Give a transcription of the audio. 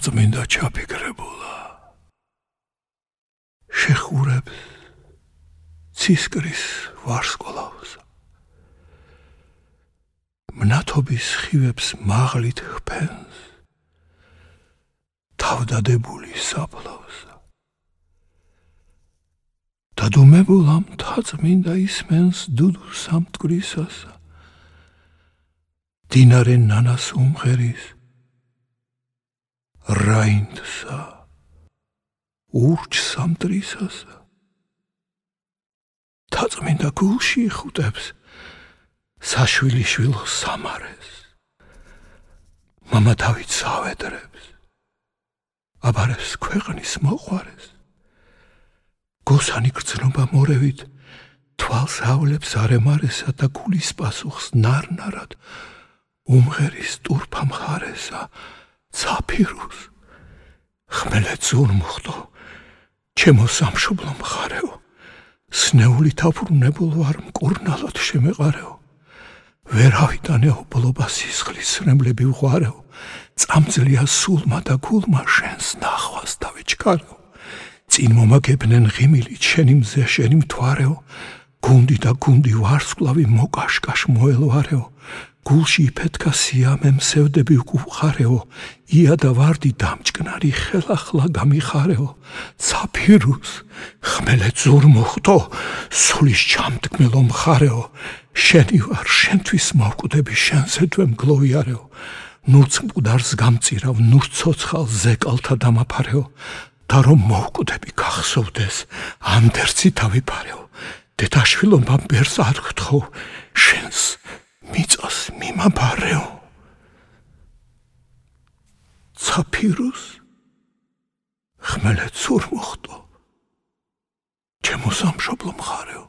წმინდა ჩაფიქრებულა შეხურებს ცისკრის ვარსკვლავს მნათობის ხივებს მაღლით ხფენს თავდადებული საფლავს დადუმებულა მთაწმინდა ისმენს დუდუ სამტკვრისასა დინარე ნანას უმღერის რაინდსა ურჩ სამტრისასა მთაწმინდა გულში იხუტებს საშვილიშვილო სამარეს მამა დავითს ავედრებს აბარებს ქვეყნის მოყვარეს გოსანი გრძნობა მორევით თვალს ავლებს არემარესა და გულის პასუხს ნარნარად უმღერის ტურფა მხარესა ცაფირუს ხმელეთ ზურმუხტო ჩემო სამშობლო მხარეო სნეულით აფრუნებულ ვარ მკურნალად შემეყარეო ვერავიდანეო ბლობა სისხლის სრემლები ვღვარეო წამძლია სულმა და გულმა შენს ნახვას დავეჩქარეო წინ მომაგებნენ ღიმილით შენი მზე შენი მთვარეო გუნდი და გუნდი ვარსკვლავი მოკაშკაშ მოელვარეო გულში იფეთქა სიამე მსევდები უყუხარეო ია და ვარდი დამჭკნარი ხელახლა გამიხარეო ცაფირუს ხმელეთ ზურმუხტო სულის ჩამდგმელო მხარეო შენი ვარ შენთვის მოვკვდები შენზე თვე მგლოვიარეო ნურც მკვდარს გამწირავ ნურც ცოცხალ ზეკალთა დამაფარეო და რომ მოვკვდები გახსოვდეს ანდერძი დავიფარეო დედაშვილობამ ბერს არ გთხოვ შენს მიწას მიმაბარეო ცაფირუს ხმელეთ ზურმუხტო ჩემო სამშობლო მხარეო